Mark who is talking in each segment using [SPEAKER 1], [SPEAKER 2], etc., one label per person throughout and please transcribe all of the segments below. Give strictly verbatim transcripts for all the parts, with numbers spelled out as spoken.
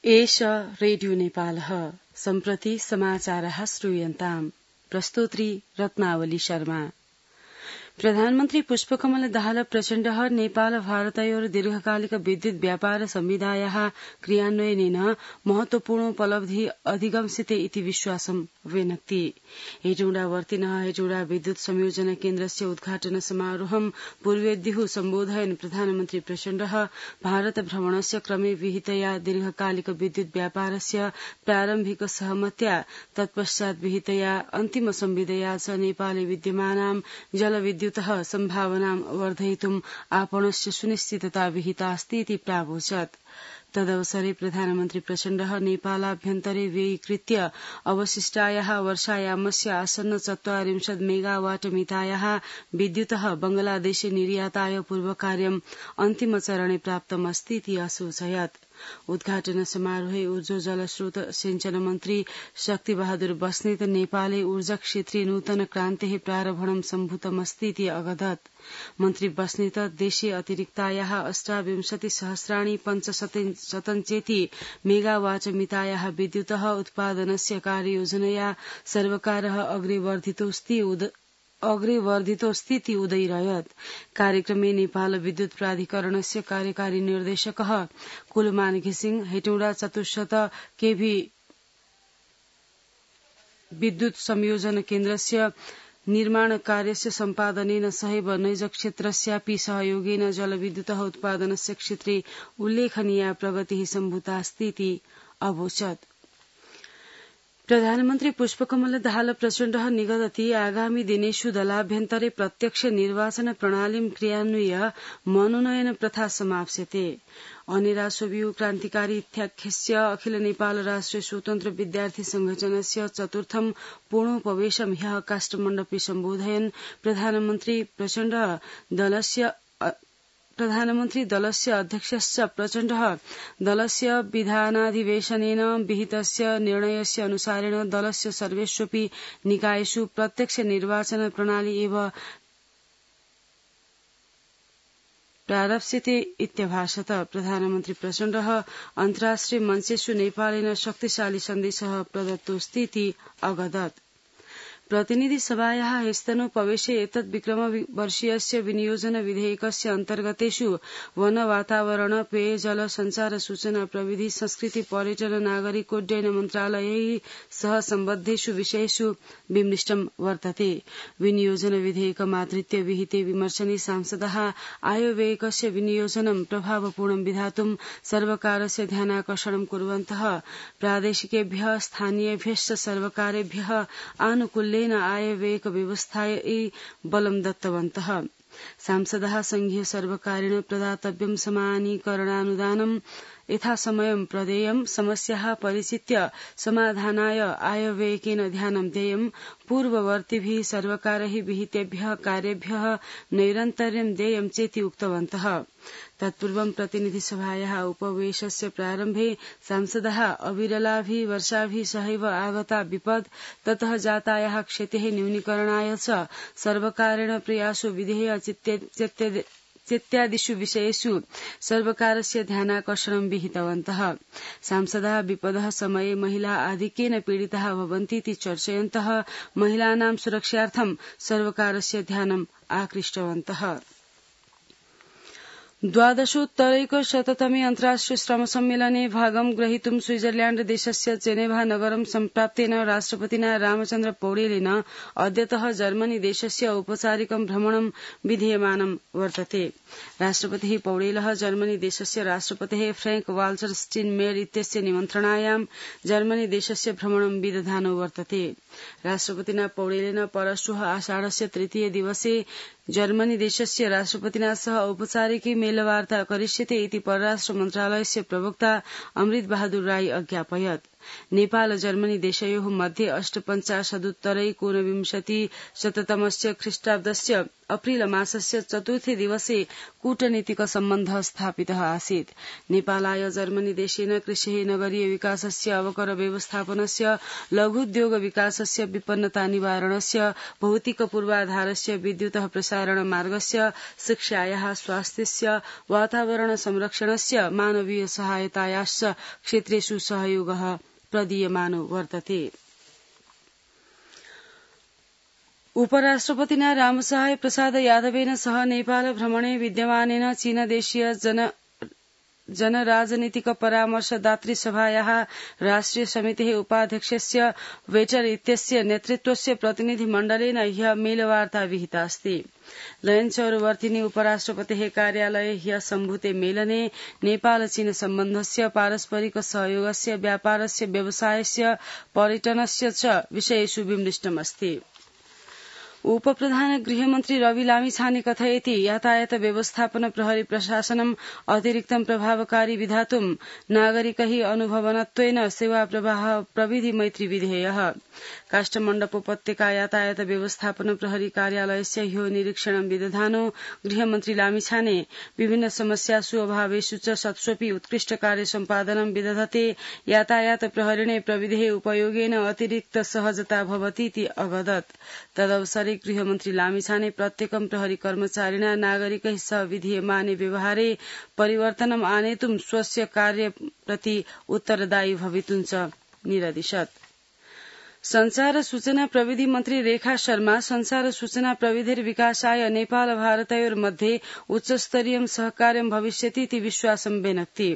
[SPEAKER 1] एष रेडियो नेपालः सम्प्रति समाचारः श्रूयन्ताम् प्रस्तोत्री रत्नावली शर्मा। प्रधानमन्त्री पुष्पकमल दाहाल प्रचण्डः नेपाल भारतयोः दीर्घकालिक विद्युत व्यापार संविधायाः क्रियान्वयनेन महत्वपूर्णोपलब्धि अधिगम्यते इति विश्वासं व्यनक्ति। हेटौडावर्तिनः हेटौडा विद्युत संयोजन केन्द्रस्य उद्घाटन समारोहं पूर्वेद्युः सम्बोधयन् प्रधानमन्त्री प्रचण्डः भारत भ्रमणस्य क्रमे विहितया दीर्घकालिक विद्युत व्यापारस्य प्रारम्भिक सहमत्या तत्पश्चात् विहितया अन्तिम संविदया च नेपाले विद्यमानां जलविद्युत सम्भावनां वर्धयितुम् आपणस्य सुनिश्चितता विहितास्ति इति प्रावोचत्। तदवसरे प्रधानमन्त्री प्रचण्डः नेपालाभ्यन्तरे व्ययीकृत्य अवशिष्टायाः वर्षायामस्य आसन्न चत्वारिंशत् मेगावाट मितायाः विद्युतः बंगलादेशे निर्याताय पूर्वकार्यम् अन्तिमचरणे प्राप्तमस्ति इति असूचयत्। उद्घाटन समारोहे ऊर्जा जलस्रोत सिंचन मन्त्री शक्तिबहादुर बस्नेत नेपाले ऊर्जा क्षेत्रे नूतन क्रान्तेः प्रारम्भणं सम्भूतमस्ति इति अवदत्। मन्त्री बस्नेत देशे अतिरिक्तायाः अष्टाविंशति सहस्राणि पञ्चशतञ्चेति मेगावाट मितायाः विद्युतः उत्पादनस्य कार्ययोजनया सर्वकारः अग्रे वर्धितोऽस्ति अग्रे वर्धितोऽस्तीति उदयिरयत्। कार्यक्रमे नेपाल विद्युत प्राधिकरणस्य कार्यकारी निर्देशकः कुलमान घिसिङ हेटौडा चतुश्शत केभी विद्युत संयोजन केन्द्रस्य निर्माण कार्यस्य सम्पादनेन सहैव नैज क्षेत्रस्यापि सहयोगेन जलविद्युतः उत्पादनस्य क्षेत्रे उल्लेखनीया प्रगतिः सम्भूतास्ति इति अवोचत्। प्रधानमन्त्री पुष्पकमल दाहाल प्रचण्डः निगदति आगामी दिनेषु दलाभ्यन्तरे प्रत्यक्ष निर्वाचन प्रणालीं क्रियान्वय्य मनोनयन प्रथा समाप्स्यते। अनेरा सोभियु क्रान्तिकारी इत्याख्यस्य अखिल नेपाल राष्ट्रिय स्वतन्त्र विद्यार्थी संघटनस्य चतुर्थं पूर्णोपवेशं ह्यः काष्ठमण्डपे सम्बोधयन् प्रधानमन्त्री प्रचण्ड दलस्य प्रधानमन्त्री दलस्य अध्यक्षश्च प्रचण्डः दलस्य विधानाधिवेशनेन विहितस्य निर्णयस्य अनुसारेण दलस्य सर्वेष्वपि निकायेषु प्रत्यक्ष निर्वाचन प्रणाली एव प्रारप्स्यते इत्यभाषत। प्रधानमन्त्री प्रचण्डः अन्ताराष्ट्रिय मञ्चेषु नेपालेन शक्तिशाली सन्देशः प्रदत्तोऽस्ति इति अवदत्। प्रतिनिधि सभायाः ह्यस्तनोपवेशे एतत् विक्रमवर्षीयस्य विनियोजन विधेयकस्य अन्तर्गतेषु वन वातावरण पेयजल संचार सूचना प्रविधि संस्कृति पर्यटन नागरिकोड्डयन मन्त्रालयैः सह सम्बद्धेषु विषयेषु विमृष्टं वर्तते। विनियोजन विधेयकमाधृत्य विहिते विमर्शने सांसदः आयव्ययकस्य विनियोजनं प्रभावपूर्णं विधातुं सर्वकारस्य ध्यानाकर्षणं कुर्वन्तः प्रादेशिकेभ्यः स्थानीयेभ्यश्च सर्वकारेभ्यः आनुकूल्य आयव्ययक व्यवस्थायै बलं दत्तवन्तः। सांसदः संघीय सर्वकारेण प्रदातव्यं समानीकरणानुदानं यथासमयं प्रदेयं समस्याः परिचित्य समाधानाय आयव्ययकेन ध्यानं देयं पूर्ववर्तिभिः सर्वकारैः विहितेभ्यः कार्येभ्यः नैरन्तर्यं देयं चेति उक्तवन्तः। तत्पूर्वं प्रतिनिधि सभायाः उपवेशस्य प्रारम्भे सांसदः अविरलाभिः वर्षाभिः सहैव आगता विपद् ततः जातायाः क्षतेः न्यूनीकरणाय च सर्वकारेण प्रयासो विधेय चेत्यादिषु विषयेषु सर्वकारस्य ध्यानाकर्षणं विहितवन्तः। सांसदः विपदः समये महिला आधिक्येन पीडिताः भवन्तीति चर्चयन्तः महिलानां सुरक्षार्थं सर्वकारस्य ध्यानम् आकृष्टवन्तः। द्वादशोत्तरैकशततमे अन्ताराष्ट्रिय श्रम सम्मेलने भागं ग्रहीतुं स्विट्जरलैण्ड देशस्य जेनेभा नगरं सम्प्राप्तेन राष्ट्रपतिना रामचन्द्र पौडेलेन अद्यतः जर्मनी देशस्य औपचारिकं भ्रमणं विधीयमानं वर्तते। राष्ट्रपतिः पौडेलः जर्मनी देशस्य राष्ट्रपतेः फ्रैंक वाल्टर स्टीनमेयर इत्यस्य निमन्त्रणायां जर्मनी देशस्य भ्रमणं विदधानो वर्तते। राष्ट्रपतिना पौडेलेन परश्वः आषाढस्य तृतीय दिवसे जर्मनी देशस्य राष्ट्रपतिना सह औपचारिकी मेलवार्ता करिष्यते इति परराष्ट्र मन्त्रालयस्य प्रवक्ता अमृत बहादुर राई अज्ञापयत्। नेपाल जर्मनी देशयोः मध्ये अष्टपञ्चाशदुत्तरैकोनविंशति शततमस्य ख्रीष्टाब्दस्य अप्रिल मासस्य चतुर्थे दिवसे कूटनीतिक सम्बन्धः स्थापितः आसीत्। नेपालाय जर्मनी देशेन कृषिः नगरीय विकासस्य अवकर व्यवस्थापनस्य लघुद्योग विकासस्य विपन्नता निवारणस्य भौतिक पूर्वाधारस्य विद्युतः प्रसारण मार्गस्य शिक्षायाः स्वास्थ्यस्य वातावरण संरक्षणस्य मानवीय सहायतायाश्च क्षेत्रेषु सहयोगः प्रदीयमानो वर्तते। उपराष्ट्रपतिना रामसहाय प्रसाद यादवेन सह नेपाल भ्रमणे विद्यमानेन चीनदेशीय जन जनराजनीतिक परामर्शदातृ सभायाः राष्ट्रिय समितेः उपाध्यक्षस्य वेटर इत्यस्य नेतृत्वस्य प्रतिनिधिमण्डलेन ह्यः मेलवार्ता विहिता अस्ति। लयन चौरवर्तिनी उपराष्ट्रपतेः कार्यालये ह्यः सम्भूते मेलने नेपाल चीन सम्बन्धस्य पारस्परिक सहयोगस्य व्यापारस्य व्यवसायस्य पर्यटनस्य च विषयेषु विमृष्टमस्ति। उपप्रधान गृहमन्त्री रवि लामिछाने कथयति यातायात व्यवस्थापन प्रहरी प्रशासनम् अतिरिक्तं प्रभावकारी विधातुं नागरिकैः अनुभवनत्वेन सेवा प्रवाह प्रविधि मैत्री विधेयः। काष्ठमण्डप उपत्यका यातायात व्यवस्थापन प्रहरी कार्यालयस्य ह्यो निरीक्षणं विदधानो गृहमन्त्री लामिछाने विभिन्न समस्यासु अभावेषु च सत्स्वपि उत्कृष्ट कार्य सम्पादनं विदधते यातायात प्रहरिणे प्रविधेः उपयोगेन अतिरिक्त सहजता भवतीति अवदत्। तदवसरे गृहमन्त्री लामिछाने प्रत्येकं प्रहरी कर्मचारिणा नागरिकैः सह विधीयमाने व्यवहारे परिवर्तनम् आनेतुं स्वस्य कार्यप्रति उत्तरदायी भवितुं च निरदिशत्। संचार सूचना प्रविधि मन्त्री रेखा शर्मा संचार सूचना प्रविधिर विकासाय नेपाल भारतयोर्मध्ये उच्चस्तरीयं सहकार्यं भविष्यतीति विश्वासं व्यनक्ति।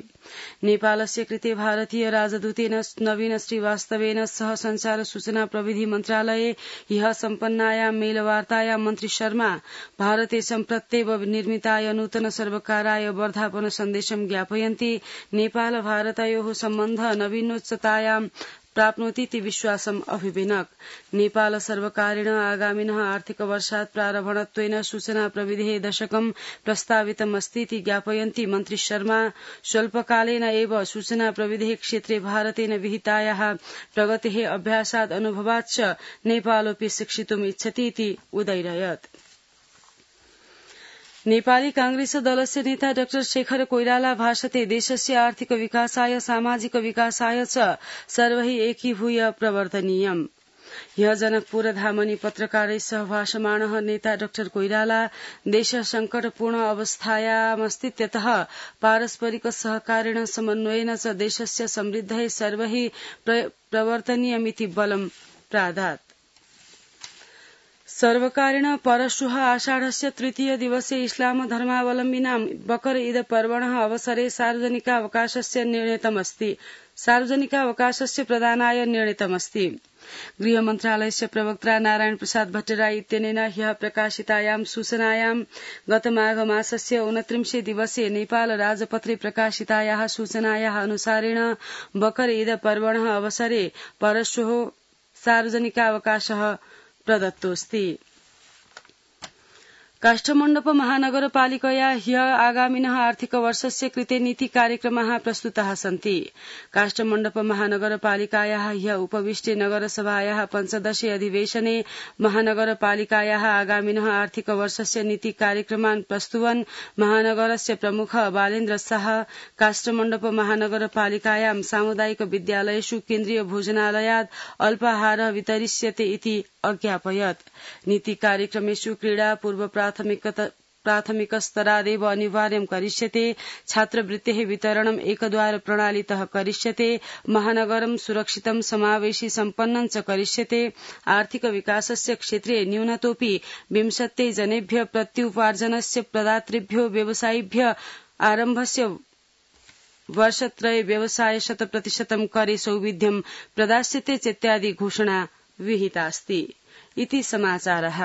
[SPEAKER 1] नेपालस्य कृते भारतीय राजदूतेन नवीन श्रीवास्तवेन सह संचार सूचना प्रविधि मन्त्रालये ह्यः सम्पन्नायां मेलवार्तायां मन्त्री शर्मा भारते सम्प्रत्येव निर्मिताय नूतन सर्वकाराय वर्धापन सन्देशं ज्ञापयन्ति नेपाल भारतयोः सम्बन्धः नवीनोच्चतायां प्राप्नोतीति विश्वासम् अभिविनक्। नेपाल सर्वकारेण आगामिनः आर्थिक वर्षात् प्रारम्भत्वेन सूचना प्रविधेः दशकं प्रस्तावितमस्तीति ज्ञापयन्ति मन्त्री शर्मा। स्वल्पकालेन एव सूचना प्रविधेः क्षेत्रे भारतेन विहितायाः प्रगतेः अभ्यासात् अनुभवात् च नेपालोऽपि शिक्षितुम् इच्छतीति उदैरयत्। नेपाली कांग्रेस दलस्य नेता डाक्टर शेखर कोइराला भाषते देशस्य आर्थिक विकासाय सामाजिक विकासाय च सर्वैः एकीभूय प्रवर्तनीयम्। ह्यः जनकपुर धामनि पत्रकारैः सह भाषमाणः नेता डाक्टर कोइराला देश संकटपूर्ण अवस्थायामस्तीत्यतः पारस्परिक सहकारेण समन्वयेन च देशस्य समृद्धये सर्वैः प्रवर्तनीयमिति बलं प्रादात्। सर्वकारेण परश्वः आषाढस्य तृतीय दिवसे इस्लाम धर्मावलम्बिनां बकर ईद पर्वणः अवसरे सार्वजनिकावकाशस्य निर्णीतमस्ति सार्वजनिकावकाशस्य प्रदानाय निर्णीतमस्ति। गृहमन्त्रालयस्य प्रवक्ता नारायण प्रसाद भट्टराई इत्यनेन ह्यः प्रकाशितायां सूचनायां गत माघ मासस्य ऊनत्रिंशे दिवसे नेपाल राजपत्रे प्रकाशितायाः सूचनायाः अनुसारेण बकर ईद पर्वणः अवसरे परश्वः सार्वजनिकावकाशः प्रदत्तोऽस्ति। काष्ठमण्डप महानगरपालिकया ह्यः आगामिनः आर्थिक वर्षस्य कृते नीति कार्यक्रमाः प्रस्तुताः सन्ति। काष्ठमण्डप महानगरपालिकायाः ह्यः उपविष्टे नगरसभायाः पञ्चदशे अधिवेशने महानगरपालिकायाः आगामिनः आर्थिक वर्षस्य नीति कार्यक्रमान् प्रस्तुवन् महानगरस्य प्रमुख बालेन्द्र शाह काष्ठमण्डप महानगरपालिकायां सामुदायिक विद्यालयेषु केन्द्रीय भोजनालयात् अल्पाहारः वितरिष्यते इति अज्ञापयत्। नीति कार्यक्रमेषु क्रीडा पूर्व प्राथमिकस्तरादेव अनिवार्यं करिष्यते। छात्रवृत्तेः वितरणम् एकद्वार प्रणालीतः करिष्यते। महानगरं सुरक्षितं समावेशी सम्पन्नं च करिष्यते। आर्थिक विकासस्य क्षेत्रे न्यूनतोऽपि विंशत्यै जनेभ्यः प्रत्युपार्जनस्य प्रदातृभ्यो व्यवसायिभ्यः आरम्भस्य वर्षत्रये व्यवसाय शतप्रतिशतं करे सौविध्यं प्रदास्यते चेत्यादि घोषणा विहितास्ति। इति समाचारः।